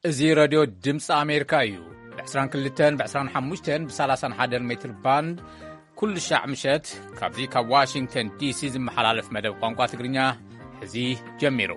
እዚ ረድዮ ድምፂ ኣሜሪካ እዩ። ብ22፣ ብ25፣ ብ31 ሜትር ባንድ ኩሉ ሻዕ ምሸት ካብዚ ካብ ዋሽንግተን ዲሲ ዝመሓላለፍ መደብ ቋንቋ ትግርኛ ሕዚ ጀሚሩ።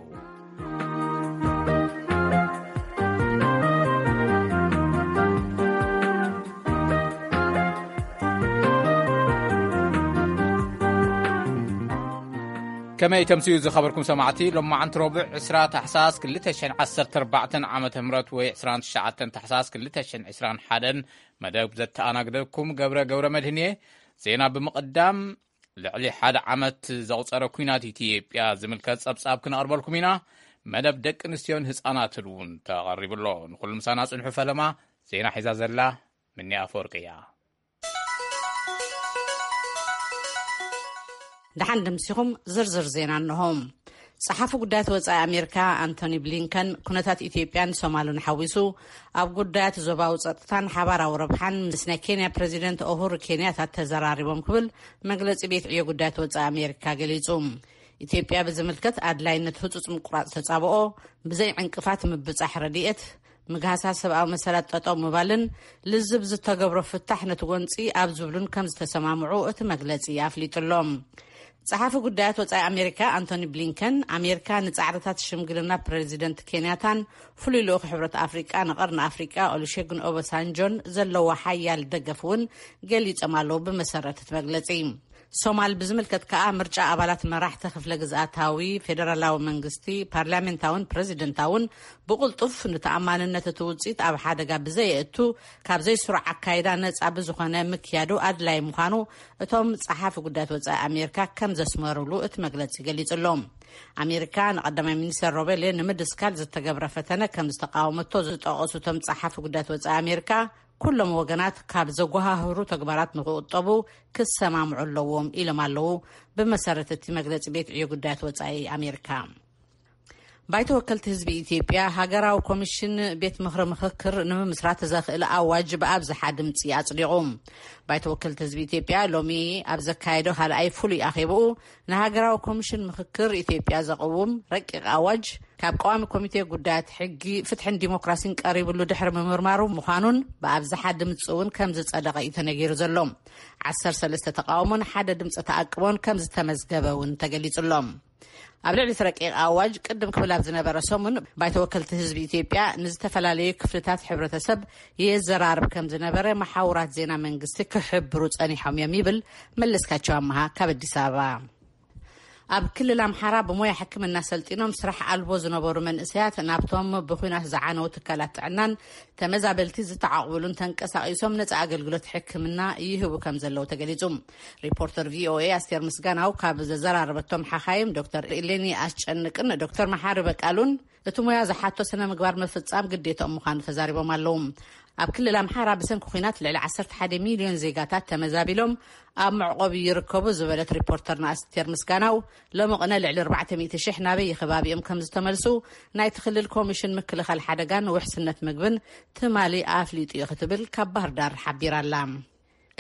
ከመይ ተምስዩ ዝኸበርኩም ሰማዕቲ፣ ሎማዓንቲ ረቡዕ ዕስራ ታሕሳስ ክልተ ሽሕን ዓሰርተ ኣርባዕተን ዓመተ ምህረት ወይ ዕስራን ትሽዓተን ታሕሳስ ክልተ ሽሕን ዕስራን ሓደን መደብ ዘተኣናግደኩም ገብረ ገብረ መድህን እየ። ዜና ብምቕዳም፣ ልዕሊ ሓደ ዓመት ዘቑጸረ ኲናት ኢትዮጵያ ዝምልከት ጸብጻብ ክነቕርበልኩም ኢና። መደብ ደቂ ኣንስትዮን ህጻናትን እውን ተቐሪቡ ኣሎ። ንኹሉ ምሳና ጽንሑ። ፈለማ ዜና ሒዛ ዘላ ምኒ ኣፈወርቂ እያ። ደሓን ደምሲኹም። ዝርዝር ዜና እንሆ። ጸሓፊ ጉዳያት ወጻኢ ኣሜሪካ ኣንቶኒ ብሊንከን ኩነታት ኢትዮጵያን ሶማልን ሓዊሱ ኣብ ጉዳያት ዞባዊ ጸጥታን ሓባራዊ ረብሓን ምስ ናይ ኬንያ ፕሬዚደንት ኡሁሩ ኬንያታ ተዘራሪቦም ክብል መግለጺ ቤት ዕዮ ጉዳያት ወጻኢ ኣሜሪካ ገሊጹ። ኢትዮጵያ ብዝምልከት ኣድላይነት ህጹጽ ምቁራጽ ተጻብኦ፣ ብዘይ ዕንቅፋት ምብጻሕ ረድኤት፣ ምግሃሳ ሰብኣዊ መሰላት ጠጠው ምባልን ልዝብ ዝተገብሮ ፍታሕ ነቲ ጎንጺ ኣብ ዝብሉን ከም ዝተሰማምዑ እቲ መግለጺ ኣፍሊጡ ኣሎ። ጸሓፊ ጉዳያት ወጻኢ ኣሜሪካ ኣንቶኒ ብሊንከን፣ ኣሜሪካ ንጻዕርታት ሽምግልና ፕሬዚደንት ኬንያታን ፍሉይ ልኡኽ ሕብረት ኣፍሪቃ ንቐርኒ ኣፍሪቃ ኦሉሼጉን ኦባሳንጆን ዘለዋ ሓያል ደገፍ እውን ገሊጾም ኣለዉ። ብመሰረት እቲ መግለጺ፣ ሶማል ብዝምልከት ከኣ ምርጫ ኣባላት መራሕቲ ክፍለ ግዝኣታዊ ፌደራላዊ መንግስቲ፣ ፓርላሜንታውን ፕሬዚደንታውን ብቕልጡፍ ንተኣማንነት እቲ ውጽኢት ኣብ ሓደጋ ብዘየእቱ፣ ካብ ዘይስሩዕ ኣካይዳ ነጻ ብዝኾነ ምክያዱ ኣድላይ ምዃኑ እቶም ጸሓፊ ጉዳያት ወጻኢ ኣሜሪካ ከም ዘስመሩሉ እቲ መግለጺ ገሊጹ ኣሎ። ኣሜሪካ ንቀዳማይ ሚኒስተር ሮቤሌ ንምድስካል ዝተገብረ ፈተነ ከም ዝተቃወመቶ ዝጠቐሱ እቶም ጸሓፊ ጉዳያት ወጻኢ ኣሜሪካ፣ ኩሎም ወገናት ካብ ዘጓሃህሩ ተግባራት ንክቁጠቡ ክሰማምዑ ኣለዎም ኢሎም ኣለዉ። ብመሰረት እቲ መግለጺ ቤት ዕዮ ጉዳያት ወጻኢ ኣሜሪካ፣ ባይቶ ወከልቲ ህዝቢ ኢትዮጵያ ሃገራዊ ኮሚሽን ቤት ምኽሪ ምኽክር ንምምስራት ዘኽእል ኣዋጅ ብኣብዝሓ ድምፂ ኣጽዲቑ። ባይቶ ወከልቲ ህዝቢ ኢትዮጵያ ሎሚ ኣብ ዘካየዶ ካልኣይ ፍሉይ ኣኼብኡ፣ ንሃገራዊ ኮሚሽን ምኽክር ኢትዮጵያ ዘቕውም ረቂቕ ኣዋጅ ካብ ቀዋሚ ኮሚቴ ጉዳያት ሕጊ፣ ፍትሕን ዲሞክራሲን ቀሪብሉ ድሕሪ ምምርማሩ ምዃኑን ብኣብዝሓ ድምፂ እውን ከም ዝጸደቐ እዩ ተነጊሩ ዘሎ። ዓሰርተ ሰለስተ ተቃውሞን ሓደ ድምፂ ተኣቅቦን ከም ዝተመዝገበ እውን ተገሊጹ ኣሎ። ኣብ ልዕሊ እቲ ረቂቕ ኣዋጅ ቅድም ክብል ኣብ ዝነበረ ሰሙን ባይቶ ወከልቲ ህዝቢ ኢትዮጵያ ንዝተፈላለዩ ክፍልታት ሕብረተሰብ የዘራርብ ከም ዝነበረ መሓውራት ዜና መንግስቲ ክሕብሩ ጸኒሖም እዮም ይብል መለስካቸው ኣመሃ ካብ ኣዲስ ኣበባ። ኣብ ክልል ኣምሓራ ብሞያ ሕክምና ሰልጢኖም ስራሕ ኣልቦ ዝነበሩ መንእሰያት ናብቶም ብኹናት ዝዓነው ትካላት ጥዕናን ተመዛበልቲ ዝተዓቕብሉን ተንቀሳቒሶም ነጻ ኣገልግሎት ሕክምና ይህቡ ከም ዘለዉ ተገሊጹ። ሪፖርተር ቪኦኤ ኣስቴር ምስጋናው ካብ ዘዘራረበቶም ሓኻይም ዶክተር ኢሌኒ ኣስጨንቅን ዶክተር መሓሪ በቃሉን እቲ ሞያ ዝሓቶ ስነ ምግባር ምፍጻም ግዴታኦም ምዃኑ ተዛሪቦም ኣለዉ። ኣብ ክልል ኣምሓራ ብሰንኪ ኲናት ልዕሊ ዓሰርተ ሓደ ሚልዮን ዜጋታት ተመዛቢሎም ኣብ መዕቆቢ ይርከቡ ዝበለት ሪፖርተርና ኣስቴር ምስጋናው፣ ሎሚ ቅነ ልዕሊ ኣርባዕተ ሚእቲ ሽሕ ናበይ ከባቢኦም ከም ዝተመልሱ ናይቲ ክልል ኮሚሽን ምክልኻል ሓደጋን ውሕስነት ምግብን ትማሊ ኣፍሊጡ እዩ ክትብል ካብ ባህር ዳር ሓቢራ ኣላ።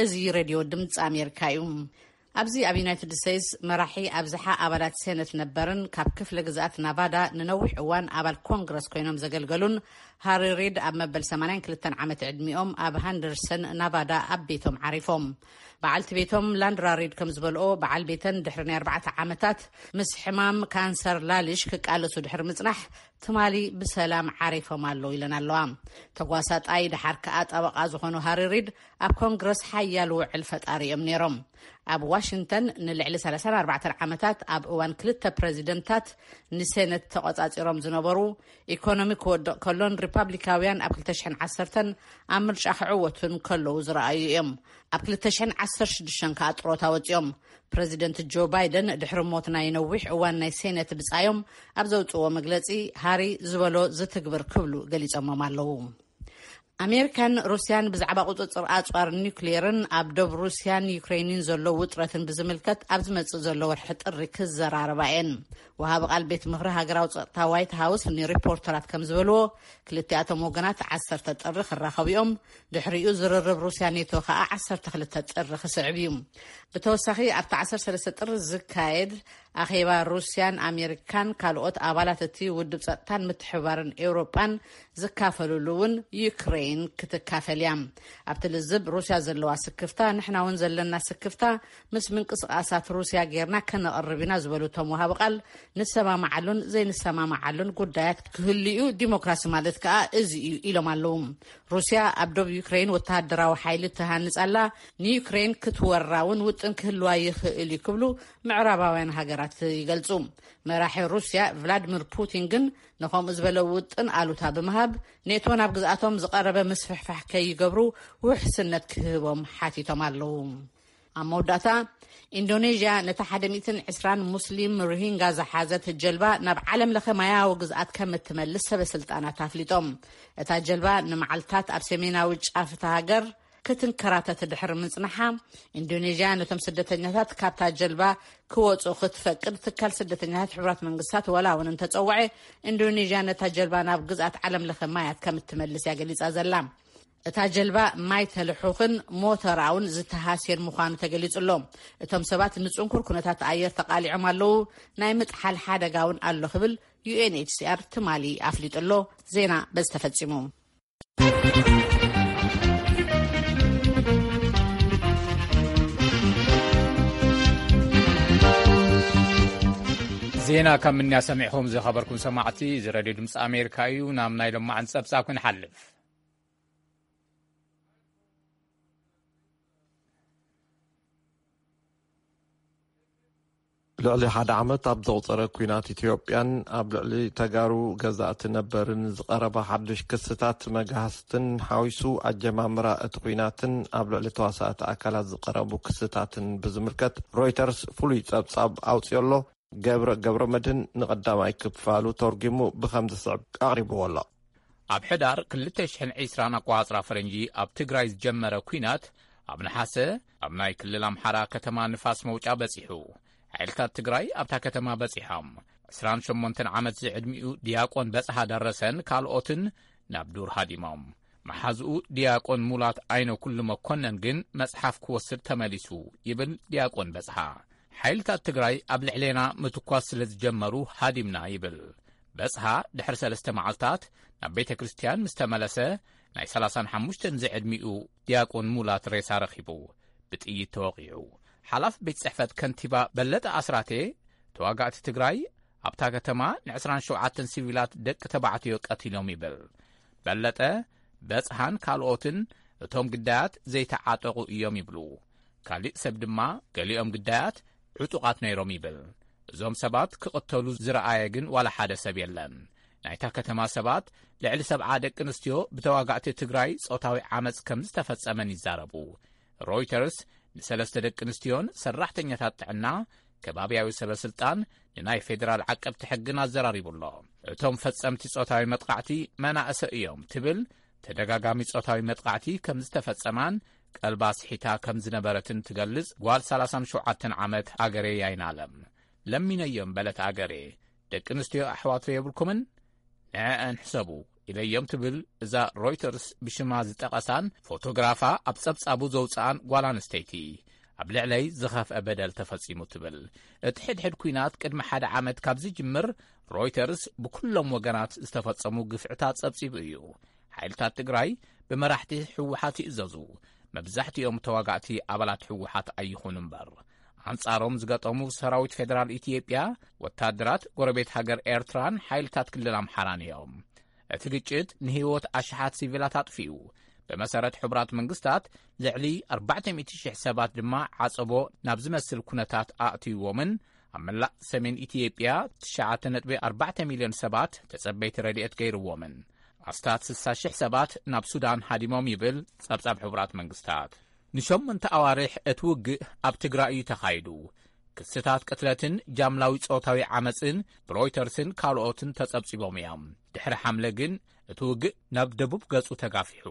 እዚ ሬድዮ ድምፂ ኣሜሪካ እዩ። ኣብዚ ኣብ ዩናይትድ ስቴትስ መራሒ ኣብዝሓ ኣባላት ሴነት ነበርን ካብ ክፍለ ግዝኣት ናቫዳ ንነዊሕ እዋን ኣባል ኮንግረስ ኮይኖም ዘገልገሉን ሃሪ ሪድ ኣብ መበል ሰማንያን ክልተን ዓመት ዕድሚኦም ኣብ ሃንደርሰን ናቫዳ ኣብ ቤቶም ዓሪፎም። በዓልቲ ቤቶም ላንድራ ሪድ ከም ዝበልኦ፣ በዓል ቤተን ድሕሪ ናይ ኣርባዕተ ዓመታት ምስ ሕማም ካንሰር ላልሽ ክቃለሱ ድሕሪ ምጽናሕ ትማሊ ብሰላም ዓሪፎም ኣለዉ ኢለን ኣለዋ። ተጓሳጣይ ደሓር ከኣ ጠበቓ ዝኾኑ ሃሪ ሪድ ኣብ ኮንግረስ ሓያል ውዕል ፈጣሪ እዮም ነይሮም። ኣብ ዋሽንግተን ንልዕሊ ሰላሳን ኣርባዕተን ዓመታት ኣብ እዋን ክልተ ፕረዚደንታት ንሴነት ተቖጻጺሮም ዝነበሩ፣ ኢኮኖሚ ክወድቕ ከሎን ሪፓብሊካውያን ኣብ ክልተ ሽሕን ዓሰርተን ኣብ ምርጫ ክዕወቱን ከለዉ ዝረኣዩ እዮም። ኣብ ክልተ ሽሕን ዓሰርተ ሽዱሽተን ከኣ ጥሮታ ወጺኦም። ፕረዚደንት ጆ ባይደን ድሕሪ ሞት ናይ ነዊሕ እዋን ናይ ሴነት ብጻዮም ኣብ ዘውጽእዎ መግለጺ፣ ሃሪ ዝበሎ ዝትግብር ክብሉ ገሊጾሞም ኣለዉ። ኣሜሪካን ሩስያን ብዛዕባ ቁጽጽር ኣጽዋር ኒውክሌርን ኣብ ዶብ ሩስያን ዩክሬንን ዘሎ ውጥረትን ብዝምልከት ኣብ ዝመጽእ ዘሎ ወርሒ ጥሪ ክዘራረባ እየን። ወሃቢ ቃል ቤት ምኽሪ ሃገራዊ ጸጥታ ዋይት ሃውስ ንሪፖርተራት ከም ዝበልዎ፣ ክልቲኣቶም ወገናት ዓሰርተ ጥሪ ክራኸቡ እዮም። ድሕሪኡ ዝርርብ ሩስያ ኔቶ ከኣ ዓሰርተ ክልተ ጥሪ ክስዕብ እዩ። ብተወሳኺ ኣብቲ ዓሰርተ ሰለስተ ጥሪ ዝካየድ ኣኼባ ሩስያን ኣሜሪካን ካልኦት ኣባላት እቲ ውድብ ጸጥታን ምትሕብባርን ኤውሮጳን ዝካፈልሉ እውን ዩክሬን ክትካፈል እያ። ኣብቲ ልዝብ ሩስያ ዘለዋ ስክፍታ ንሕና እውን ዘለና ስክፍታ ምስ ምንቅስቃሳት ሩስያ ጌርና ከነቕርብ ኢና ዝበሉ እቶም ወሃቢ ቃል፣ ንሰማማዓሉን ዘይንሰማማዓሉን ጉዳያት ክህልዩ ዲሞክራሲ ማለት ከኣ እዚ እዩ ኢሎም ኣለዉ። ሩስያ ኣብ ዶብ ዩክሬን ወተሃደራዊ ሓይሊ ትሃንጽ ኣላ። ንዩክሬን ክትወራ እውን ውጥን ክህልዋ ይኽእል እዩ ክብሉ ምዕራባውያን ሃገራት ይገልጹ። መራሒ ሩስያ ቭላድሚር ፑቲን ግን ንኸምኡ ዝበለ ውጥን ኣሉታ ብምሃብ፣ ኔቶ ናብ ግዝኣቶም ዝቐረበ ምስፍሕፋሕ ከይገብሩ ውሕስነት ክህቦም ሓቲቶም ኣለዉ። ኣብ መወዳእታ፣ ኢንዶኔዥያ ነታ ሓደ ሚእትን ዕስራን ሙስሊም ሮሂንጋ ዝሓዘት ጀልባ ናብ ዓለም ለኸ ማያዊ ግዝኣት ከም እትመልስ ሰበ ስልጣናት ኣፍሊጦም። እታ ጀልባ ንመዓልታት ኣብ ሰሜናዊ ጫፍ እታ ሃገር ክትንከራተት ድሕሪ ምጽናሓ፣ ኢንዶኔዥያ ነቶም ስደተኛታት ካብታ ጀልባ ክወጹ ክትፈቅድ ትካል ስደተኛታት ሕቡራት መንግስታት ወላ እውን እንተጸውዐ፣ ኢንዶኔዥያ ነታ ጀልባ ናብ ግዝኣት ዓለም ለኸ ማያት ከም እትመልስ እያ ገሊጻ ዘላ። እታ ጀልባ ማይ ተልሑኽን ሞተራ እውን ዝተሃስየን ምዃኑ ተገሊጹ ኣሎ። እቶም ሰባት ንጽንኩር ኩነታት ኣየር ተቓሊዖም ኣለዉ፣ ናይ ምጥሓል ሓደጋ እውን ኣሎ ክብል ዩ ኤን ኤች ሲ ኣር ትማሊ ኣፍሊጡ ኣሎ። ዜና በዚ ተፈጺሙ። ዜና ካብ ምንያ ሰሚዕኹም ዝኸበርኩም ሰማዕቲ፣ እዚ ሬድዮ ድምፂ ኣሜሪካ እዩ። ናብ ናይ ሎማዓንቲ ጸብጻብ ክንሓልፍ። ልዕሊ ሓደ ዓመት ኣብ ዘቑጸረ ኲናት ኢትዮጵያን ኣብ ልዕሊ ተጋሩ ገዛእቲ ነበርን ዝቐረበ ሓድሽ ክስታት መጋህስትን ሓዊሱ፣ ኣጀማምራ እቲ ኲናትን ኣብ ልዕሊ ተዋሳእቲ ኣካላት ዝቐረቡ ክስታትን ብዝምልከት ሮይተርስ ፍሉይ ጸብጻብ ኣውጺኦ ኣሎ። ገብረ ገብረ መድህን ንቐዳማይ ክፋሉ ተርጒሙ ብኸም ዝስዕብ ኣቕሪብዎ ኣሎ። ኣብ ሕዳር ክልተ ሽሕን ዕስራን ኣቋጽራ ፈረንጂ ኣብ ትግራይ ዝጀመረ ኲናት ኣብ ነሓሰ ኣብ ናይ ክልል ኣምሓራ ከተማ ንፋስ መውጫ በጺሑ። ሓይልታት ትግራይ ኣብታ ከተማ በጺሖም ዕስራን ሸሞንተን ዓመት ዝዕድሚኡ ዲያቆን በጽሃ ደረሰን ካልኦትን ናብ ዱር ሃዲሞም። መሓዝኡ ዲያቆን ሙላት ኣይነ ኩሉ መኮነን ግን መጽሓፍ ክወስድ ተመሊሱ ይብል ዲያቆን በጽሃ። ሓይልታት ትግራይ ኣብ ልዕሌና ምትኳስ ስለ ዝጀመሩ ሃዲምና ይብል። በጽሃ ድሕሪ ሰለስተ መዓልታት ናብ ቤተ ክርስቲያን ምስ ተመለሰ ናይ ሰላሳን ሓሙሽተን ዝዕድሚኡ ዲያቆን ሙላት ሬሳ ረኺቡ ብጥይት ተወቒዑ። ሓላፊ ቤት ጽሕፈት ከንቲባ በለጠ ኣስራቴ ተዋጋእቲ ትግራይ ኣብታ ከተማ ንዕስራን ሸውዓተን ሲቪላት ደቂ ተባዕትዮ ቀቲሎም ይብል። በለጠ በጽሃን ካልኦትን እቶም ግዳያት ዘይተዓጠቑ እዮም ይብሉ። ካሊእ ሰብ ድማ ገሊኦም ግዳያት ዕጡቓት ነይሮም ይብል። እዞም ሰባት ክቕተሉ ዝረኣየ ግን ዋላ ሓደ ሰብ የለን። ናይታ ከተማ ሰባት ልዕሊ ሰብዓ ደቂ ኣንስትዮ ብተዋጋእቲ ትግራይ ጾታዊ ዓመጽ ከም ዝተፈጸመን ይዛረቡ። ሮይተርስ ንሰለስተ ደቂ ኣንስትዮን ሰራሕተኛታት ጥዕና ከባብያዊ ሰበ ስልጣን ንናይ ፌዴራል ዓቀብቲ ሕግን ኣዘራሪቡ ኣሎ። እቶም ፈጸምቲ ጾታዊ መጥቃዕቲ መናእሰ እዮም ትብል ተደጋጋሚ ጾታዊ መጥቃዕቲ ከም ዝተፈጸማን ቀልባ ስሒታ ከም ዝነበረትን ትገልጽ ጓል ሰላሳን ሸውዓተን ዓመት ኣገሬ ያይናለም። ለሚነዮም በለት ኣገሬ፣ ደቂ ኣንስትዮ ኣሕዋት የብልኩምን? ንዐአን ሕሰቡ ኢለዮም ትብል እዛ ሮይተርስ ብሽማ ዝጠቐሳን ፎቶግራፋ ኣብ ጸብጻቡ ዘውጽኣን ጓል ኣንስተይቲ። ኣብ ልዕለይ ዝኸፍአ በደል ተፈጺሙ ትብል። እቲ ሕድሕድ ኲናት ቅድሚ ሓደ ዓመት ካብ ዝጅምር ሮይተርስ ብኩሎም ወገናት ዝተፈጸሙ ግፍዕታት ጸብጺቡ እዩ። ሓይልታት ትግራይ ብመራሕቲ ህወሓት ይእዘዙ። መብዛሕትኦም ተዋጋእቲ ኣባላት ህወሓት ኣይኹኑ እምበር፣ ኣንጻሮም ዝገጠሙ ሰራዊት ፌደራል ኢትዮጵያ፣ ወታደራት ጎረቤት ሃገር ኤርትራን ሓይልታት ክልል ኣምሓራን እዮም። እቲ ግጭት ንህይወት ኣሽሓት ሲቪላት ኣጥፊኡ። ብመሰረት ሕቡራት መንግስታት፣ ልዕሊ ኣርባዕተ ሚእቲ ሽሕ ሰባት ድማ ዓጸቦ ናብ ዝመስል ኩነታት ኣእትይዎምን ኣብ መላእ ሰሜን ኢትዮጵያ ትሽዓተ ነጥቢ ኣርባዕተ ሚልዮን ሰባት ተጸበይቲ ረድኤት ገይርዎምን ኣስታት ስሳ ሽሕ ሰባት ናብ ሱዳን ሃዲሞም ይብል ጸብጻብ ሕቡራት መንግስታት። ንሸሞንተ ኣዋርሕ እቲ ውግእ ኣብ ትግራይ እዩ ተኻይዱ። ክስታት ቅትለትን ጃምላዊ ጾታዊ ዓመጽን ብሮይተርስን ካልኦትን ተጸብጺቦም እዮም። ድሕሪ ሓምለ ግን እቲ ውግእ ናብ ደቡብ ገጹ ተጋፊሑ።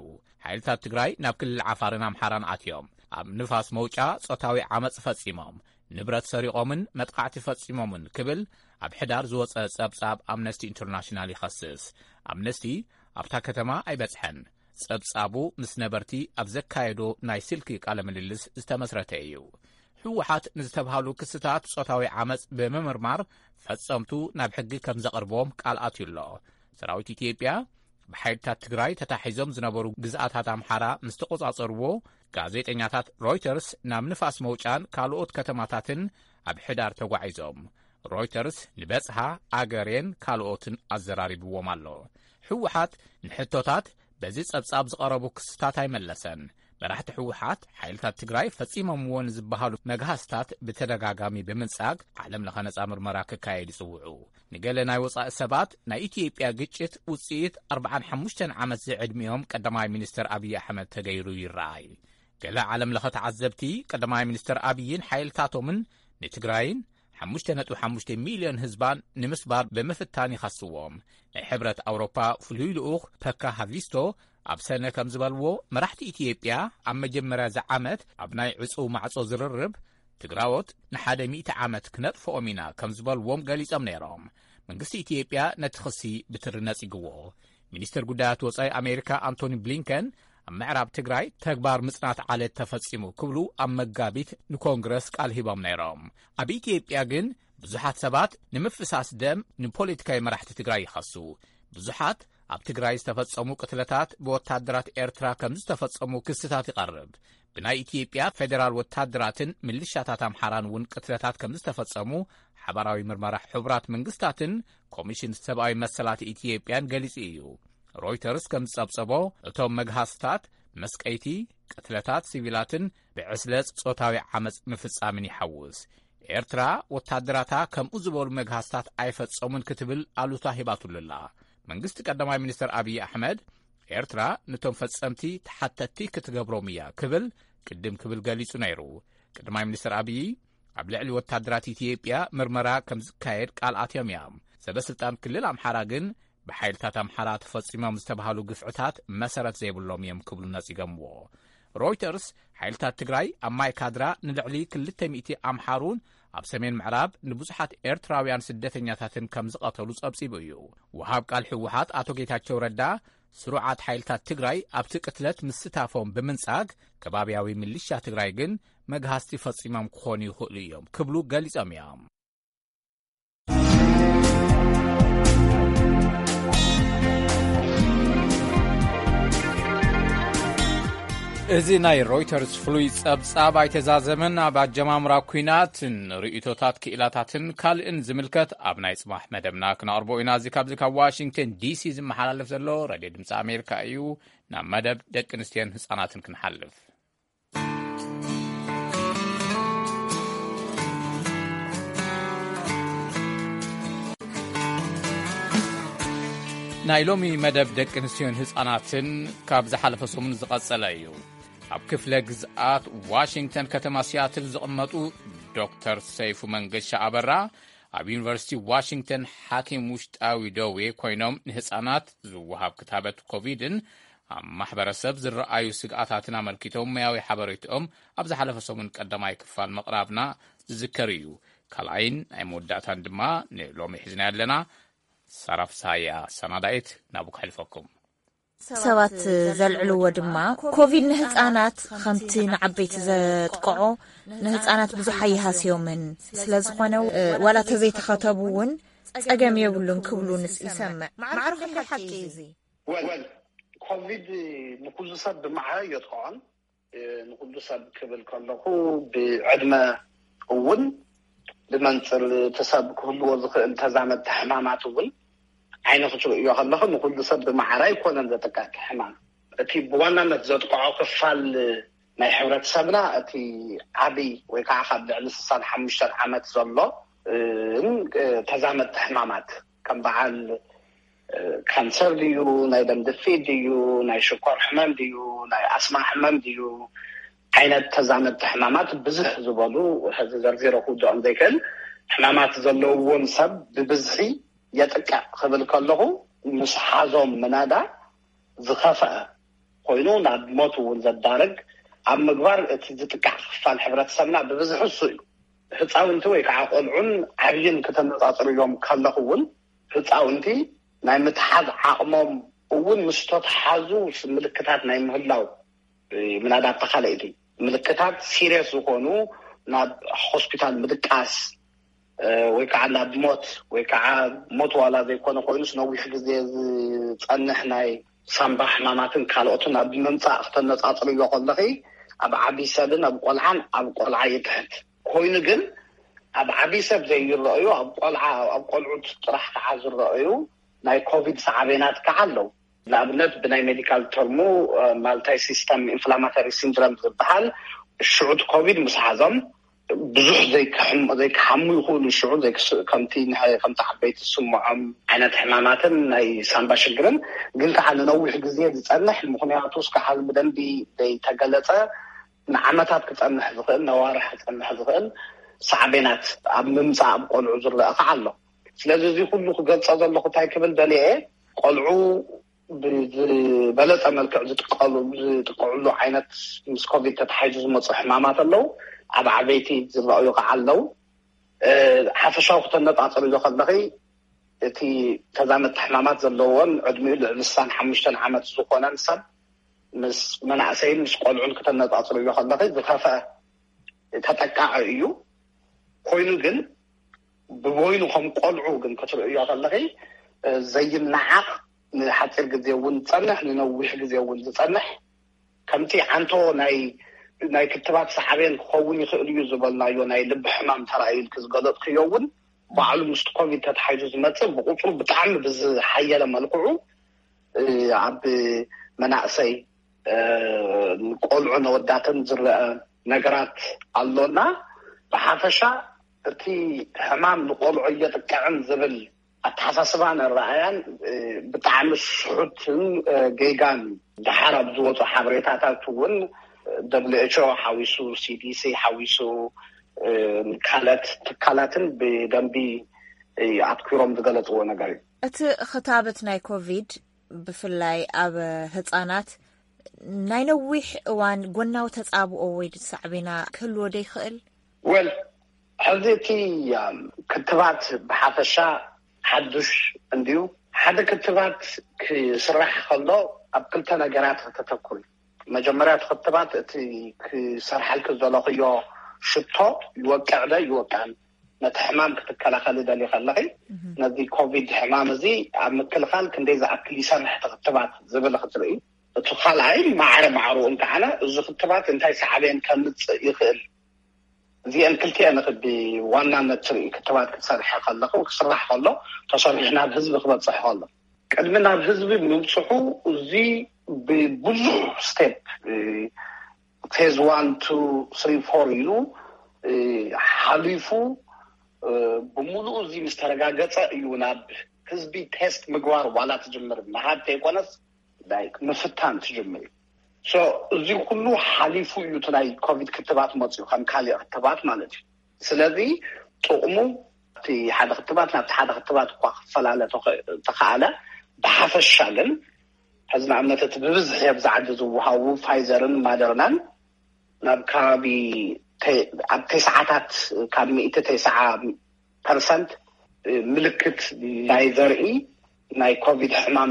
ሓይልታት ትግራይ ናብ ክልል ዓፋርን ኣምሓራን ኣትዮም ኣብ ንፋስ መውጫ ጾታዊ ዓመጽ ፈጺሞም፣ ንብረት ሰሪቖምን መጥቃዕቲ ፈጺሞምን ክብል ኣብ ሕዳር ዝወጸ ጸብጻብ ኣምነስቲ ኢንተርናሽናል ይኸስስ። ኣምነስቲ ኣብታ ከተማ ኣይበጽሐን። ጸብጻቡ ምስ ነበርቲ ኣብ ዘካየዶ ናይ ስልኪ ቃለ ምልልስ ዝተመስረተ እዩ። ህወሓት ንዝተብሃሉ ክስታት ጾታዊ ዓመጽ ብምምርማር ፈጸምቱ ናብ ሕጊ ከም ዘቕርቦም ቃል ኣትዩ ኣሎ። ሰራዊት ኢትዮጵያ ብሓይልታት ትግራይ ተታሒዞም ዝነበሩ ግዝኣታት ኣምሓራ ምስ ተቖጻጸርዎ፣ ጋዜጠኛታት ሮይተርስ ናብ ንፋስ መውጫን ካልኦት ከተማታትን ኣብ ሕዳር ተጓዒዞም። ሮይተርስ ንበጽሃ፣ ኣገሬን ካልኦትን ኣዘራሪብዎም ኣሎ። ህወሓት ንሕቶታት በዚ ጸብጻብ ዝቐረቡ ክስታት ኣይመለሰን። መራሕቲ ህወሓት ሓይልታት ትግራይ ፈጺሞምዎ ንዝበሃሉ መግሃስታት ብተደጋጋሚ ብምንጻግ ዓለም ለኸ ነጻ ምርመራ ክካየድ ይጽውዑ። ንገለ ናይ ወጻኢ ሰባት ናይ ኢትዮጵያ ግጭት ውጽኢት ኣርብዓን ሓሙሽተን ዓመት ዝዕድሚኦም ቀዳማይ ሚኒስትር ኣብይ ኣሕመድ ተገይሩ ይረኣይ። ገለ ዓለም ለኸ ተዓዘብቲ ቀዳማይ ሚኒስትር ኣብይን ሓይልታቶምን ንትግራይን ሓሙሽተ ነጥቢ ሓሙሽተ ሚልዮን ህዝባን ንምስባር ብምፍታን ይኸስዎም። ናይ ሕብረት ኣውሮፓ ፍሉይ ልኡኽ ፐካ ሃቪስቶ ኣብ ሰነ ከም ዝበልዎ፣ መራሕቲ ኢትዮጵያ ኣብ መጀመርያ እዚ ዓመት ኣብ ናይ ዕጹው ማዕጾ ዝርርብ ትግራዎት ንሓደ ሚእቲ ዓመት ክነጥፍኦም ኢና ከም ዝበልዎም ገሊጾም ነይሮም። መንግስቲ ኢትዮጵያ ነቲ ክሲ ብትሪ ነጺግዎ። ሚኒስትር ጉዳያት ወጻኢ ኣሜሪካ ኣንቶኒ ብሊንከን ኣብ ምዕራብ ትግራይ ተግባር ምጽናት ዓለት ተፈጺሙ ክብሉ ኣብ መጋቢት ንኮንግረስ ቃል ሂቦም ነይሮም። ኣብ ኢትዮጵያ ግን ብዙሓት ሰባት ንምፍሳስ ደም ንፖለቲካዊ መራሕቲ ትግራይ ይኸሱ። ብዙሓት ኣብ ትግራይ ዝተፈጸሙ ቅትለታት ብወታደራት ኤርትራ ከም ዝተፈጸሙ ክስታት ይቐርብ። ብናይ ኢትዮጵያ ፌደራል ወታደራትን ምልሻታት ኣምሓራን እውን ቅትለታት ከም ዝተፈጸሙ ሓባራዊ ምርመራ ሕቡራት መንግስታትን ኮሚሽን ሰብኣዊ መሰላት ኢትዮጵያን ገሊጹ እዩ። ሮይተርስ ከም ዝጸብጸቦ፣ እቶም መግሃስታት መስቀይቲ፣ ቅትለታት ሲቪላትን ብዕስለ ጾታዊ ዓመጽ ምፍጻምን ይሓውስ። ኤርትራ ወታደራታ ከምኡ ዝበሉ መግሃስታት ኣይፈጸሙን ክትብል ኣሉታ ሂባቱሉ ኣላ። መንግስቲ ቀዳማይ ሚኒስትር ኣብይ ኣሕመድ፣ ኤርትራ ነቶም ፈጸምቲ ተሓተትቲ ክትገብሮም እያ ክብል ቅድም ክብል ገሊጹ ነይሩ። ቀዳማይ ሚኒስትር ኣብይ ኣብ ልዕሊ ወታደራት ኢትዮጵያ ምርመራ ከም ዝካየድ ቃል ኣትዮም እዮም። ሰበ ስልጣን ክልል ኣምሓራ ግን ብሓይልታት ኣምሓራ ተፈጺሞም ዝተባህሉ ግፍዕታት መሰረት ዘይብሎም እዮም ክብሉ ነጺጎምዎ። ሮይተርስ ሓይልታት ትግራይ ኣብ ማይ ካድራ ንልዕሊ ክልተ ሚእቲ ኣምሓሩን ኣብ ሰሜን ምዕራብ ንብዙሓት ኤርትራውያን ስደተኛታትን ከም ዝቐተሉ ጸብጺቡ እዩ። ወሃብ ቃል ህወሓት ኣቶ ጌታቸው ረዳ፣ ስሩዓት ሓይልታት ትግራይ ኣብቲ ቅትለት ምስታፎም ብምንጻግ፣ ከባብያዊ ምልሻ ትግራይ ግን መግሃስቲ ፈጺሞም ክኾኑ ይኽእሉ እዮም ክብሉ ገሊጾም እዮም። እዚ ናይ ሮይተርስ ፍሉይ ጸብጻብ ኣይተዛዘመን። ኣብ ኣጀማምራ ኲናትን ርእይቶታት ክኢላታትን ካልእን ዝምልከት ኣብ ናይ ጽባሕ መደብና ክነቕርቦ ኢና። እዚ ካብዚ ካብ ዋሽንግተን ዲሲ ዝመሓላለፍ ዘሎ ሬድዮ ድምፂ ኣሜሪካ እዩ። ናብ መደብ ደቂ ኣንስትዮን ህጻናትን ክንሓልፍ። ናይ ሎሚ መደብ ደቂ ኣንስትዮን ህጻናትን ካብ ዝሓለፈ ሰሙን ዝቐጸለ እዩ። ኣብ ክፍለ ግዝኣት ዋሽንግተን ከተማ ሲያትል ዝቕመጡ ዶክተር ሰይፉ መንገሻ ኣበራ፣ ኣብ ዩኒቨርሲቲ ዋሽንግተን ሓኪም ውሽጣዊ ደዌ ኮይኖም፣ ንህጻናት ዝወሃብ ክታበት ኮቪድን ኣብ ማሕበረሰብ ዝረኣዩ ስግኣታትን ኣመልኪቶም ሞያዊ ሓበሬትኦም ኣብ ዝሓለፈ ሰሙን ቀዳማይ ክፋል ምቕራብና ዝዝከር እዩ። ካልኣይን ናይ መወዳእታን ድማ ንሎሚ ሒዝና ኣለና። ሳራ ፍስሃያ ሰናዳኢት ናብኡ ከሕልፈኩም። ሰባት ዘልዕልዎ ድማ፣ ኮቪድ ንህጻናት ከምቲ ንዓበይቲ ዘጥቅዖ፣ ንህጻናት ብዙሕ ኣይሃስዮምን። ስለ ዝኾነ፣ ዋላ ተዘይተኸተቡ እውን ጸገም የብሉን ክብሉ ንስ ይሰምዕ። ማዕረ ክንደይ ሓቂ እዩ እዚ? ወል ኮቪድ ንኩሉ ሰብ ብማዕረ የጥቅዖን። ንኩሉ ሰብ ክብል ከለኹ፣ ብዕድመ እውን፣ ብመንፅር እቲ ሰብ ክህልዎ ዝኽእል ተዛመድቲ ሕማማት እውን ዓይኒ ክትርእዮ ከለኹ፣ ንኩሉ ሰብ ብማዕረ ኣይኮነን ዘጥቅዕ እቲ ሕማም። እቲ ብዋናነት ዘጥቅዖ ክፋል ናይ ሕብረተሰብና፣ እቲ ዓብይ ወይ ከዓ ካብ ልዕሊ ስሳን ሓሙሽተን ዓመት ዘሎ፣ እ፣ ተዛመድቲ ሕማማት ከም በዓል ካንሰር ድዩ፣ ናይ ደም ድፊት ድዩ፣ ናይ ሽኮር ሕመም ድዩ፣ ናይ ኣስማ ሕመም ድዩ፣ ዓይነት ተዛመድቲ ሕማማት ብዝሕ ዝበሉ፣ ሕዚ ዘርዚረ ክውድኦም ዘይክእል ሕማማት ዘለውዎን ሰብ ብብዝሒ የጥቅዕ ክብል ከለኹ፣ ምስ ሓዞም ምናዳ ዝኸፍአ ኮይኑ ናብ ሞት እውን ዘዳርግ ኣብ ምግባር እቲ ዝጥቃዕ ክፋል ሕብረተሰብና ብብዝሒ እሱ እዩ። ህፃውንቲ ወይ ከዓ ቆልዑን ዓብይን ክተነፃፅርዮም ከለኹ እውን፣ ህፃውንቲ ናይ ምትሓዝ ዓቕሞም እውን ምስ ተተሓዙ ምልክታት ናይ ምህላው ምናዳ ኣተኻለይቲ ምልክታት ሲሪየስ ዝኾኑ ናብ ሆስፒታል ምድቃስ ወይ ከዓ ናብ ሞት፣ ወይ ከዓ ሞት ዋላ ዘይኮነ ኮይኑስ ነዊሕ ግዜ ዝፀንሕ ናይ ሳምባ ሕማማትን ካልኦትን ኣብ ምምፃእ ክተነፃፅርዮ ከለኺ፣ ኣብ ዓብይ ሰብን ኣብ ቆልዓን ኣብ ቆልዓ ይትሕት ኮይኑ፣ ግን ኣብ ዓብይ ሰብ ዘይረኣዩ፣ ኣብ ቆልዓ ኣብ ቆልዑት ጥራሕ ከዓ ዝረኣዩ ናይ ኮቪድ ሳዕቤናት ከዓ ኣለዉ። ንኣብነት ብናይ ሜዲካል ተርሙ ማልታይ ሲስተም ኢንፍላማተሪ ሲንድረም ዝበሃል ሽዑት ኮቪድ ምስ ሓዞም ብዙሕ ዘይክሓሙ ይኽእሉ። ሽዑ ከምቲ ዓበይቲ ዝስምዖም ዓይነት ሕማማትን ናይ ሳምባ ሽግርን፣ ግን ከዓ ንነዊሕ ግዜ ዝፀንሕ፣ ምክንያቱ እስካሓዚ ብደንቢ ዘይተገለፀ፣ ንዓመታት ክፀንሕ ዝኽእል፣ ነዋርሕ ክፀንሕ ዝኽእል ሳዕቤናት ኣብ ምምፃእ ኣብ ቆልዑ ዝረአ ከዓ ኣሎ። ስለዚ እዚ ኩሉ ክገልፀ ዘለኹ እንታይ ክብል ደልየ፣ ቆልዑ ብዝበለፀ መልክዕ ዝጥቀሉ ዝጥቀዕሉ ዓይነት ምስ ኮቪድ ተታሒዙ ዝመፁ ሕማማት ኣለዉ። ኣብ ዓበይቲ ዝረኣዩ ከዓ ኣለዉ። ሓፈሻዊ ክተነፃፅርዮ ከለኺ፣ እቲ ተዛመድቲ ሕማማት ዘለዎን ዕድሚኡ ልዕሊ ስሳን ሓሙሽተን ዓመት ዝኾነን ሰብ ምስ መናእሰይን ምስ ቆልዑን ክተነፃፅርዮ ከለኺ ዝኸፍአ ተጠቃዒ እዩ። ኮይኑ ግን ብበይኑ ከም ቆልዑ ግን ክትርእዮ ከለኺ ዘይነዓቕ፣ ንሓፂር ግዜ እውን ዝፀንሕ፣ ንነዊሕ ግዜ እውን ዝፀንሕ፣ ከምቲ ዓንቶ ናይ ናይ ክትባት ሳዕቤን ክኸውን ይኽእል እዩ ዝበልናዮ ናይ ልቢ ሕማም ተራእዩ ኢልክ ዝገለፅክዮ እውን ባዕሉ ምስቲ ኮቪድ ተታሒዙ ዝመፅእ ብቁፅሩ ብጣዕሚ ብዝሓየለ መልክዑ ኣብ መናእሰይ ቆልዑ ነወዳትን ዝረአ ነገራት ኣሎና። ብሓፈሻ እቲ ሕማም ንቆልዑ እየጥቅዕን ዝብል ኣተሓሳስባን ኣረኣያን ብጣዕሚ ስሑትን ጌጋን። ደሓር ኣብ ዝወፁ ሓበሬታታት እውን ደብሊው ኤች ኦ ሓዊሱ፣ ሲ ዲ ሲ ሓዊሱ፣ ካልኦት ትካላትን ብደንቢ ኣትኪሮም ዝገለፅዎ ነገር እዩ። እቲ ክታበት ናይ ኮቪድ ብፍላይ ኣብ ህፃናት ናይ ነዊሕ እዋን ጎናዊ ተፃብኦ ወይ ሳዕቤና ክህልዎ ዶ ይኽእል? ወል ሕዚ እቲ ክትባት ብሓፈሻ ሓዱሽ እንድዩ። ሓደ ክትባት ክስራሕ ከሎ ኣብ ክልተ ነገራት ከተተኩር እዩ። መጀመርያ እቲ ክትባት እቲ ክሰርሓልክ ዝደለኽዮ ሽቶ ይወቅዕ ዶ ይወቅዕን፣ ነቲ ሕማም ክትከላኸሊ ደሊ ከለኺ፣ ነዚ ኮቪድ ሕማም እዚ ኣብ ምክልኻል ክንደይ ዝኣክል ይሰርሕ እቲ ክትባት ዝብል ክትርኢ። እቲ ካልኣይ ማዕረ ማዕርኡ እንተዓነ እዚ ክትባት እንታይ ሳዕቤን ከምፅእ ይኽእል፣ እዚአን ክልቲአን ብዋናነት ትርኢ። ክትባት ክትሰርሐ ከለኹ ክስራሕ ከሎ ተሰሪሑ ናብ ህዝቢ ክበፅሕ ከሎ ቅድሚ ናብ ህዝቢ ምብፅሑ እዚ ብብዙሕ ስቴፕ ፌዝ ዋን ቱ ስሪ ፎር ኢሉ ሓሊፉ ብምሉኡ እዚ ምስ ተረጋገፀ እዩ ናብ ህዝቢ ቴስት ምግባር ዋላ ትጅምር ምሃብ ተይኮነስ ምፍታን ትጅምር እዩ። እዚ ኩሉ ሓሊፉ እዩ እቲ ናይ ኮቪድ ክትባት መፅኡ ከም ካሊእ ክትባት ማለት እዩ። ስለዚ ጥቕሙ እቲ ሓደ ክትባት ናብቲ ሓደ ክትባት እኳ ክፈላለ ተኸኣለ፣ ብሓፈሻ ግን ሕዚ ንኣብነት እቲ ብብዝሒ ኣብዚ ዓዲ ዝወሃቡ ፋይዘርን ማደርናን ናብ ከባቢ ኣብ ተስዓታት ካብ ሚእቲ ተስዓ ፐርሰንት ምልክት ናይ ዘርኢ ናይ ኮቪድ ሕማም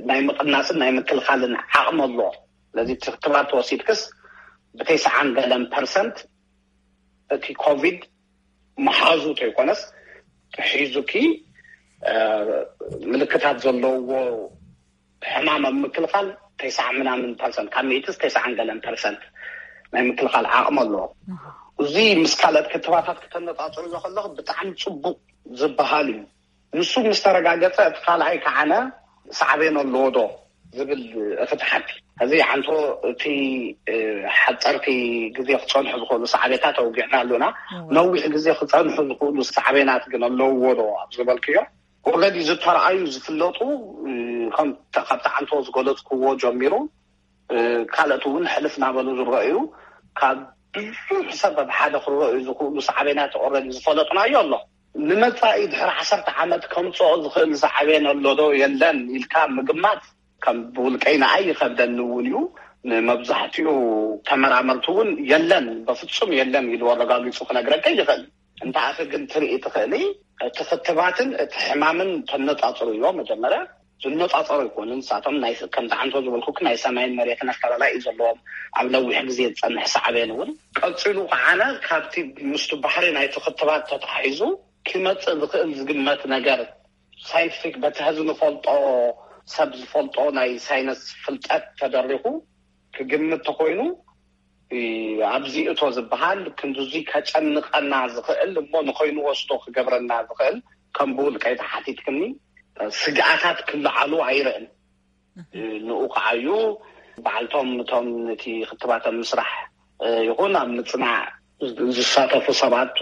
ናይ ምቕናፅን ናይ ምክልኻልን ዓቕሚ ኣለዎ። ስለዚ እቲ ክትባት ተወሲድክስ ብተስዓን ገለን ፐርሰንት እቲ ኮቪድ መሓዙ ተይኮነስ ሒዙኪ ምልክታት ዘለውዎ ሕማም ኣብ ምክልኻል ተስዓ ምናምን ፐርሰንት ካብ ሚእትስ ተስዓን ገለን ፐርሰንት ናይ ምክልኻል ዓቕሚ ኣለዎ። እዚ ምስ ካልኦት ክትባታት ክተነፃፅርዮ ከለኹ ብጣዕሚ ፅቡቕ ዝበሃል እዩ። ንሱ ምስ ተረጋገፀ እቲ ካልኣይ ከዓነ ሳዕቤን ኣለዎ ዶ ዝብል እቲ ተሓቲ። እዚ ዓንቶ እቲ ሓፀርቲ ግዜ ክፀንሑ ዝኽእሉ ሳዕቤታት ኣውጊዕና ኣሎና። ነዊሕ ግዜ ክፀንሑ ዝኽእሉ ሳዕቤናት ግን ኣለውዎ ዶ ኣብ ዝበልክዮ፣ ኦረዲ ዝተረኣዩ ዝፍለጡ፣ ካብቲ ዓንቶ ዝገለፅክዎ ጀሚሩ ካልኦት እውን ሕልፍ ናበሉ ዝረኣዩ፣ ካብ ብዙሕ ሰብ ኣብ ሓደ ክረኣዩ ዝኽእሉ ሳዕቤናት ኦረዲ ዝፈለጥናዮ ኣሎ። ንመጻኢ ድሕሪ ዓሰርተ ዓመት ከምጽኦ ዝኽእል ሳዕቤን ኣሎ ዶ የለን ኢልካ ምግማት ከም ብውልቀይ ንኣይ ይኸብደኒ እውን እዩ። ንመብዛሕትኡ ተመራመርቲ እውን የለን፣ በፍጹም የለን ኢሉ ኣረጋጊጹ ክነግረካ ይኽእል። እንተኣኸ ግን ትርኢ ትኽእሊ፣ እቲ ክትባትን እቲ ሕማምን ተነጻጽርዮ። መጀመርያ ዝነጻጸሩ ኣይኮኑን። ንሳቶም ናይ፣ ከምቲ ዓንቶ ዝበልኩ፣ ናይ ሰማይን መሬትን ኣፈላላይ እዩ ዘለዎም። ኣብ ነዊሕ ግዜ ዝጸንሕ ሳዕቤን እውን ቀጺሉ ከዓነ ካብቲ ምስቲ ባሕሪ ናይቲ ክትባት ተታሒዙ ክመጽእ ዝኽእል ዝግመት ነገር፣ ሳይንቲፊክ፣ በቲ ሕዚ ንፈልጦ፣ ሰብ ዝፈልጦ ናይ ሳይንስ ፍልጠት ተደሪኹ ክግምት ተኮይኑ፣ ኣብዚ እቶ ዝበሃል ክንድዚ ከጨንቐና ዝኽእል እሞ ንኸይንወስዶ ክገብረና ዝኽእል፣ ከም ብውልቀይ ተሓቲትክኒ፣ ስግኣታት ክለዓሉ ኣይርእን። ንኡ ከዓዩ በዓልቶም እቶም ነቲ ክትባት ኣብ ምስራሕ ይኹን ኣብ ምጽናዕ ዝሳተፉ ሰባት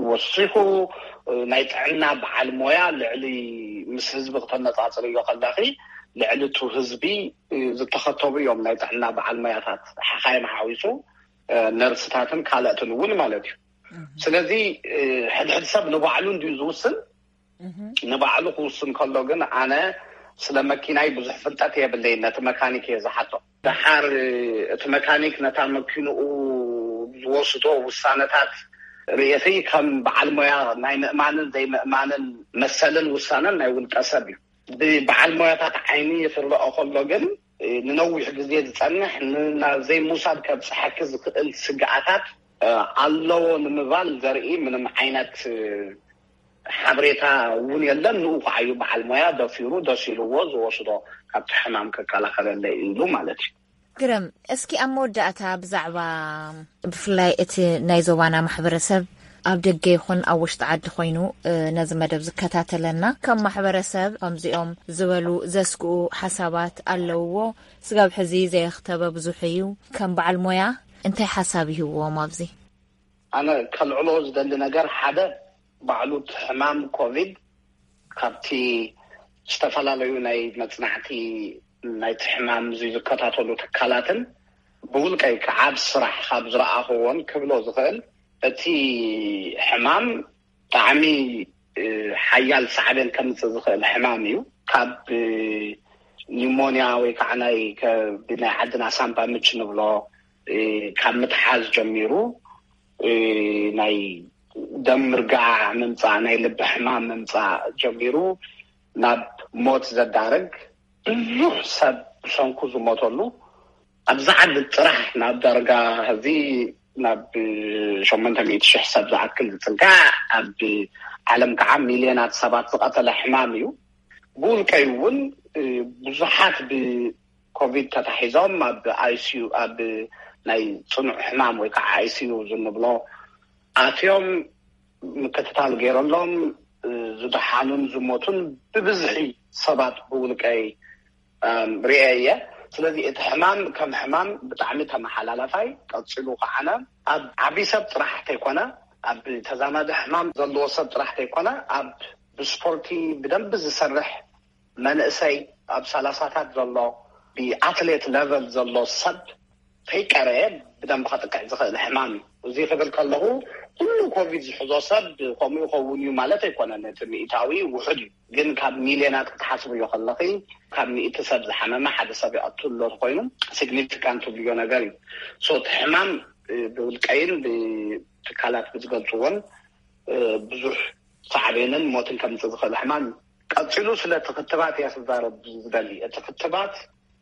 ወሲኹ፣ ናይ ጥዕና በዓል ሞያ ልዕሊ፣ ምስ ህዝቢ ክተነጻጽርዮ ከለኺ፣ ልዕሊ እቲ ህዝቢ ዝተኸተቡ እዮም ናይ ጥዕና በዓል ሞያታት፣ ሓኻይም ሓዊሱ፣ ነርስታትን ካልኦትን እውን ማለት እዩ። ስለዚ ሕድሕድ ሰብ ንባዕሉ እንድዩ ዝውስን። ንባዕሉ ክውስን ከሎ ግን ኣነ ስለ መኪናይ ብዙሕ ፍልጠት የብለይን፣ ነቲ መካኒክ እየ ዝሓቶ። ደሓር እቲ መካኒክ ነታ መኪንኡ ዝወስዶ ውሳነታት ርእየቲ ከም በዓል ሞያ ናይ ምእማንን ዘይምእማንን መሰልን ውሳነን ናይ ውልቀ ሰብ እዩ። ብበዓል ሞያታት ዓይኒ ክረኦ ከሎ ግን ንነዊሕ ግዜ ዝጸንሕ፣ ናብ ዘይምውሳድ ከብጽሐኪ ዝኽእል ስግኣታት ኣለዎ ንምባል ዘርኢ ምንም ዓይነት ሓበሬታ እውን የለን። ንኡ ከዓዩ በዓል ሞያ ደፊሩ ደስ ኢልዎ ዝወስዶ፣ ካብቲ ሕማም ክከላኸለለይ ኢሉ ማለት እዩ። ግርም፣ እስኪ ኣብ መወዳእታ ብዛዕባ ብፍላይ እቲ ናይ ዞባና ማሕበረሰብ ኣብ ደገ ይኹን ኣብ ውሽጢ ዓዲ ኮይኑ ነዚ መደብ ዝከታተለና፣ ከም ማሕበረሰብ ከምዚኦም ዝበሉ ዘስግኡ ሓሳባት ኣለውዎ? ስጋብ ሕዚ ዘየኽተበ ብዙሕ እዩ። ከም በዓል ሞያ እንታይ ሓሳብ ይህብዎም ኣብዚ? ኣነ ከልዕሎ ዝደሊ ነገር ሓደ፣ ባዕሉ እቲ ሕማም ኮቪድ ካብቲ ዝተፈላለዩ ናይ መጽናዕቲ ናይቲ ሕማም እዚ ዝከታተሉ ትካላትን ብውልቀይ ከዓ ኣብ ስራሕ ካብ ዝረኣኽዎን ክብሎ ዝኽእል፣ እቲ ሕማም ብጣዕሚ ሓያል ሳዕቤን ከምጽእ ዝኽእል ሕማም እዩ። ካብ ኒሞንያ ወይ ከዓ ናይ፣ ከ-፣ ብናይ ዓድና ሳምባ ምች ንብሎ፣ ካብ ምትሓዝ ጀሚሩ፣ ናይ ደም ምርጋዕ ምምጻእ፣ ናይ ልቢ ሕማም ምምጻእ ጀሚሩ ናብ ሞት ዘዳርግ፣ ብዙሕ ሰብ ብሰንኩ ዝሞተሉ፣ ኣብዚ ዓዲ ጥራሕ ናብ ዳርጋ ሕዚ ናብ ሸሞንተ ሚእቲ ሽሕ ሰብ ዝኣክል ዝጽጋዕ፣ ኣብ ዓለም ከዓ ሚልዮናት ሰባት ዝቐተለ ሕማም እዩ። ብውልቀይ እውን ብዙሓት ብኮቪድ ተታሒዞም ኣብ ኣይሲዩ፣ ኣብ ናይ ጽኑዕ ሕማም ወይ ከዓ ኣይሲዩ ዝንብሎ ኣትዮም ምክትታል ገይረሎም ዝደሓኑን ዝሞቱን ብብዝሒ ሰባት ብውልቀይ ርእየ እየ። ስለዚ እቲ ሕማም ከም ሕማም ብጣዕሚ ተመሓላላፋይ፣ ቀጺሉ ከዓነ ኣብ ዓቢ ሰብ ጥራሕ ተይኮነ፣ ኣብ ተዛማዲ ሕማም ዘለዎ ሰብ ጥራሕ ተይኮነ፣ ኣብ ብስፖርቲ ብደንቢ ዝሰርሕ መንእሰይ፣ ኣብ ሰላሳታት ዘሎ ብኣትሌት ለቨል ዘሎ ሰብ ከይቀረየ ብደንቢ ከጥቅዕ ዝኽእል ሕማም እዩ። እዚ ክብል ከለኹ ኩሉ ኮቪድ ዝሕዞ ሰብ ከምኡ ይኸውን እዩ ማለት ኣይኮነን። እቲ ሚእታዊ ውሑድ እዩ፣ ግን ካብ ሚልዮናት ክትሓስብዮ ከለኺ፣ ካብ ሚእቲ ሰብ ዝሓመመ ሓደ ሰብ ይቐትል ኣሎ ኮይኑ፣ ሲግኒፊካንት ትብልዮ ነገር እዩ። ሶ እቲ ሕማም ብውልቀይን ብትካላት ብዝገልፅዎን ብዙሕ ሳዕቤንን ሞትን ከምፅእ ዝኽእል ሕማም እዩ። ቀፂሉ ስለቲ ክትባት እየ ክዛረብ ዝደሊ። እቲ ክትባት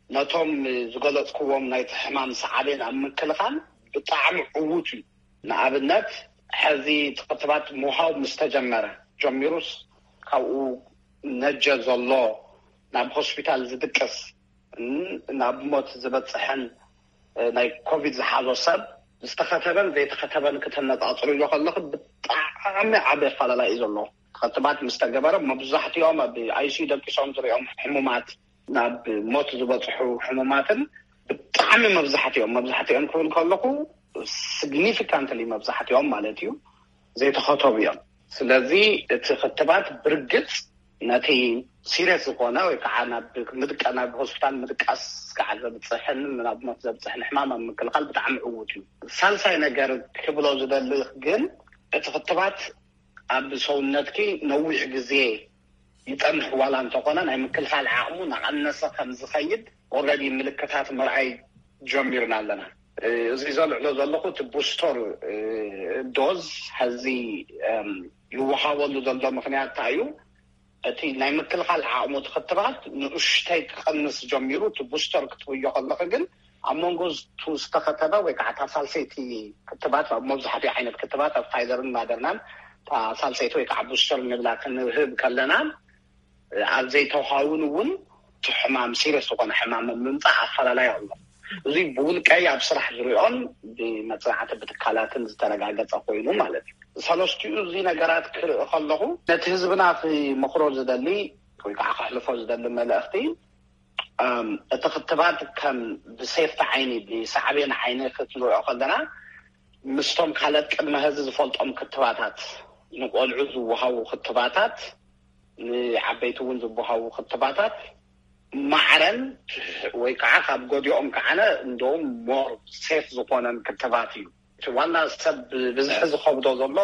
ነቶም ዝገለፅክዎም ናይቲ ሕማም ሳዕቤን ኣብ ምክልኻል ብጣዕሚ ዕዉት እዩ። ንኣብነት፣ ሕዚ እቲ ክትባት ምሃብ ምስ ተጀመረ ጀሚሩስ፣ ካብኡ ነጀ ዘሎ ናብ ሆስፒታል ዝድቅስ፣ ናብ ሞት ዝበፅሕን ናይ ኮቪድ ዝሓዞ ሰብ ዝተኸተበን ዘይተኸተበን ክተነፃፅርዮ ከለኺ ብጣዕሚ ዓቢ ኣፈላላይ እዩ ዘሎ። ክትባት ምስ ተገበረ መብዛሕትኦም ኣብ ኣይሲዩ ደቂሶም ዝሪኦም ሕሙማት፣ ናብ ሞት ዝበፅሑ ሕሙማትን ብጣዕሚ መብዛሕትኦም፣ መብዛሕትኦም ክብል ከለኹ ሲግኒፊካንትሊ መብዛሕትኦም ማለት እዩ፣ ዘይተኸተቡ እዮም። ስለዚ እቲ ክትባት ብርግፅ ነቲ ሲሪየስ ዝኾነ ወይ ከዓ ናብ ምድቃ ናብ ሆስፒታል ምድቃስ ከዓ ዘብፅሕን ናብ ሞት ዘብፅሕን ሕማም ኣብ ምክልኻል ብጣዕሚ ዕዉት እዩ። ሳልሳይ ነገር ክብሎ ዝደሊ ግን እቲ ክትባት ኣብ ሰውነትኪ ነዊሕ ግዜ ይፀንሕ ዋላ እንተኾነ ናይ ምክልኻል ዓቕሙ ናቐነሰ ከም ዝኸይድ ኦልሬዲ ምልክታት ምርኣይ ጀሚርና ኣለና። እዚ ዘልዕሎ ዘለኹ እቲ ቡስተር ዶዝ ሐዚ ይወሃበሉ ዘሎ ምክንያት እንታይ እዩ? እቲ ናይ ምክልኻል ዓቕሙ እቲ ክትባት ንእሽተይ ክቐንስ ጀሚሩ፣ እቲ ቡስተር ክትብዮ ከለኺ ግን ኣብ መንጎ ዝቱ ዝተኸተበ ወይ ከዓ እታ ሳልሰይቲ ክትባት ኣብ መብዛሕትኡ ዓይነት ክትባት ኣብ ፋይዘርን ማደርናን እታ ሳልሰይቲ ወይ ከዓ ቡስተር ንብላ ክንህብ ከለና ኣብ ዘይተውሃውን እውን እቲ ሕማም ሲሪየስ ዝኾነ ሕማም ምምፃእ ኣፈላላይ ኣሎ። እዚ ብውልቀይ ኣብ ስራሕ ዝሪኦን ብመፅናዕቲ ብትካላትን ዝተረጋገፀ ኮይኑ ማለት እዩ። ሰለስቲኡ እዚ ነገራት ክርኢ ከለኹ ነቲ ህዝብና ክመኽሮ ዝደሊ ወይ ከዓ ከሕልፎ ዝደሊ መልእኽቲ እቲ ክትባት ከም ብሴፍቲ ዓይኒ ብሳዕቤን ዓይኒ ክትንሪኦ ከለና ምስቶም ካልኦት ቅድመ ሕዚ ዝፈልጦም ክትባታት ንቆልዑ ዝወሃቡ ክትባታት ንዓበይቲ እውን ዝወሃቡ ክትባታት ማዕረን ወይ ከዓ ካብ ጎዲኦም ከዓነ እንደውም ሞር ሴፍ ዝኾነን ክትባት እዩ። እቲ ዋና ሰብ ብዝሒ ዝኸብዶ ዘሎ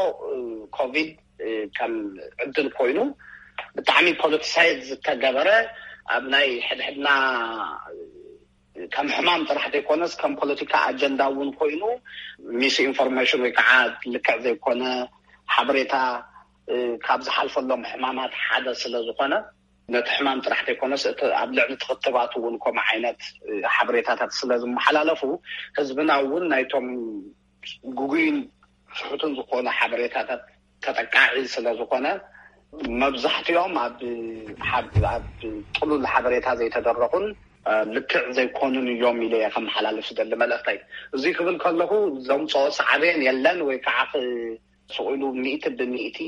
ኮቪድ ከም ዕድል ኮይኑ ብጣዕሚ ፖለቲሳይዝ ዝተገበረ ኣብ ናይ ሕድሕድና ከም ሕማም ጥራሕ ዘይኮነስ ከም ፖለቲካ ኣጀንዳ እውን ኮይኑ ሚስ ኢንፎርሜሽን ወይ ከዓ ልክዕ ዘይኮነ ሓበሬታ ካብ ዝሓልፈሎም ሕማማት ሓደ ስለ ዝኾነ ነቲ ሕማም ጥራሕ ዘይኮነስ እቲ ኣብ ልዕሊ ትኽትባት እውን ከምኡ ዓይነት ሓበሬታታት ስለ ዝመሓላለፉ ህዝብና እውን ናይቶም ግጉይን ስሑትን ዝኾኑ ሓበሬታታት ተጠቃዒ ስለ ዝኾነ መብዛሕትኦም ኣብ ጥሉል ሓበሬታ ዘይተደረኹን ልክዕ ዘይኮኑን እዮም ኢለ እየ ከመሓላልፍ ዝደሊ መልእኽተይ። እዚ ክብል ከለኹ ዘምፅኦ ሳዕቤን የለን ወይ ከዓ ስቕ ኢሉ ሚእቲ ብሚእቲ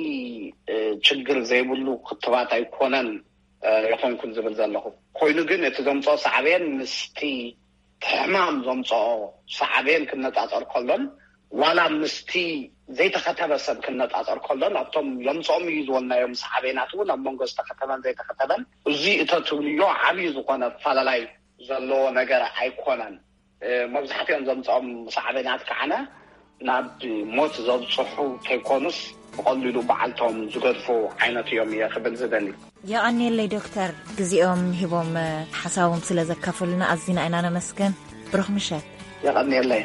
ችግር ዘይብሉ ክትባት ኣይኮነን ይኾንኩን ዝብል ዘለኹ። ኮይኑ ግን እቲ ዘምፅኦ ሳዕቤን ምስቲ ሕማም ዘምፅኦ ሳዕቤን ክነፃፀር ከሎን ዋላ ምስቲ ዘይተኸተበ ሰብ ክነፃፀር ከሎን ኣብቶም የምፅኦም እዩ ዝበልናዮም ሳዕቤናት እውን ኣብ መንጎ ዝተኸተበን ዘይተኸተበን እዚ እተትብልዮ ዓብዪ ዝኾነ ኣፈላላይ ዘለዎ ነገር ኣይኮነን። መብዛሕትኦም ዘምፅኦም ሳዕቤናት ከዓነ ናብ ሞት ዘብፅሑ ከይኮኑስ ብቐሊሉ በዓልቶም ዝገድፉ ዓይነት እዮም እየ ክብል ዝደሊ። የቐንየለይ ዶክተር፣ ግዜኦም ሂቦም ሓሳቦም ስለ ዘካፈሉና ኣዚና ኢና ነመስገን። ብሩኽ ምሸት። የቐንየለይ።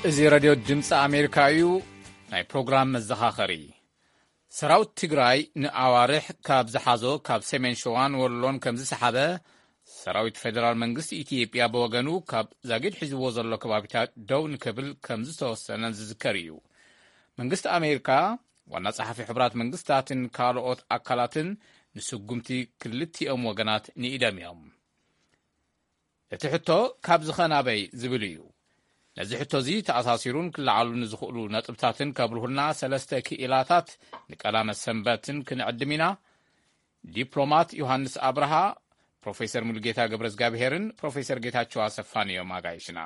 እዚ ሬድዮ ድምፂ ኣሜሪካ እዩ። ናይ ፕሮግራም መዘኻኸሪ። ሰራዊት ትግራይ ንኣዋርሕ ካብ ዝሓዞ ካብ ሰሜን ሸዋን ወሎን ከም ዝሰሓበ ሰራዊት ፌደራል መንግስቲ ኢትዮጵያ ብወገኑ ካብ ዛጊድ ሒዝዎ ዘሎ ከባቢታት ደው ንክብል ከም ዝተወሰነ ዝዝከር እዩ። መንግስቲ ኣሜሪካ፣ ዋና ጸሓፊ ሕቡራት መንግስታትን ካልኦት ኣካላትን ንስጉምቲ ክልቲኦም ወገናት ንኢዶም እዮም። እቲ ሕቶ ካብ ዝኸ ናበይ ዝብል እዩ። ነዚ ሕቶ እዚ ተኣሳሲሩን ክለዓሉ ንዝኽእሉ ነጥብታትን ከብርሁልና ሰለስተ ክኢላታት ንቀዳመ ሰንበትን ክንዕድም ኢና። ዲፕሎማት ዮሃንስ ኣብርሃ፣ ፕሮፌሰር ሙሉጌታ ገብረዝጋብሄርን ፕሮፌሰር ጌታቸው ኣሰፋን እዮም ኣጋይሽና።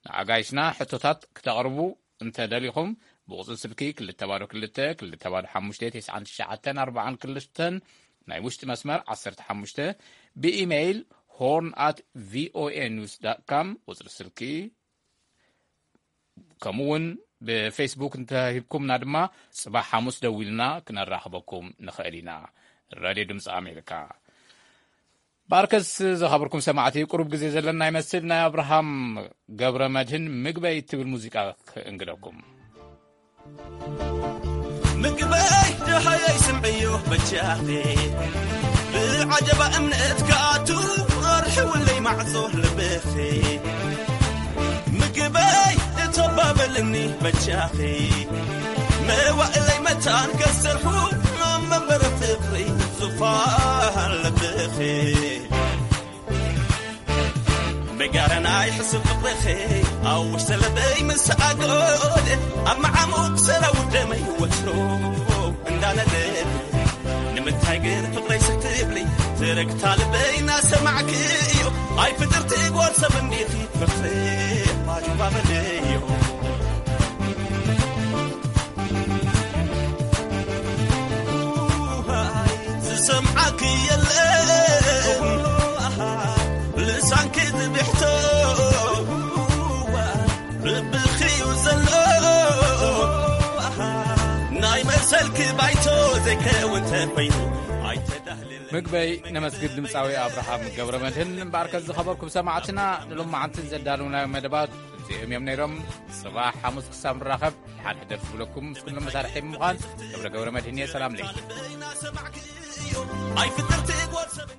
ንኣጋይሽና ሕቶታት ክተቕርቡ እንተ ደሊኹም ብቁጽሪ ስልኪ ክልተ ባዶ ክልተ፣ ክልተ ባዶ ሓሙሽተ፣ ተስዓን ትሽዓተን ኣርባዓን ክልተን ናይ ውሽጢ መስመር ዓሰርተ ሓሙሽተ፣ ብኢሜይል ሆርን ኣት ቪኦኤ ኒውስ ዳት ካም ቁጽሪ ስልኪ፣ ከምኡ እውን ብፌስቡክ እንተሂብኩምና ድማ ጽባሕ ሓሙስ ደዊልና ክነራኽበኩም ንኽእል ኢና። ራድዮ ድምፂ ኣሜሪካ። ባርከስ ዝኸበርኩም ሰማዕቲ፣ ቁሩብ ግዜ ዘለና ይመስል። ናይ ኣብርሃም ገብረ መድህን ምግበይ እትብል ሙዚቃ ክእንግደኩም። ምግበይ ደሃየይ ስምዕዮ በጃኺ፣ ብዓጀባ እምነት ክኣቱ ኣርሕውለይ ማዕጾ ልብኺ። ምግበይ እተባበልኒ በጃኺ፣ መዋእለይ መታን ከሰርሑ ኣብ መንበረ ፍቕሪ ዙፋን ልብኺ። መጋረናይ ሕሱብ ፍቕርኺ ኣውሽ ዘለበይ ምስ ኣጎል ኣብ መዓሙቕ ሰላው ደመይ ወትሮ እንዳነደድ ንምንታይ ግን ፍቕረይ ስትብሊ ትርግታ ልበይ እናሰማዕክዮ ኣይ ፍጥርቲ ጓል ሰብ እንዲኺ ፍቕሪ ባጅባበለዮ። ክየለን ልሳንኪ ዝብሕቶ ርብኺ እዩ ዘሎ ናይ መሰልኪ ባይቶ ዘይከውን ተፈይኑ ኣይተዳህልለን። ምግበይ ነመስግን ድምፃዊ ኣብርሃም ገብረ መድህን። እምበኣርከ ዝኸበርኩም ሰማዕትና፣ ንሎማዓንትን ዘዳለውናዮ መደባት እዚኦም እዮም ነይሮም። ጽባሕ ሓሙስ ክሳብ ንራኸብ፣ ሓድሕደር ዝብለኩም ምስ ኩሎም መሳርሒ ብምዃን ገብረ ገብረ መድህን እየ። ሰላም ለይ ኣይፍጥርቲ ጓል ሰብ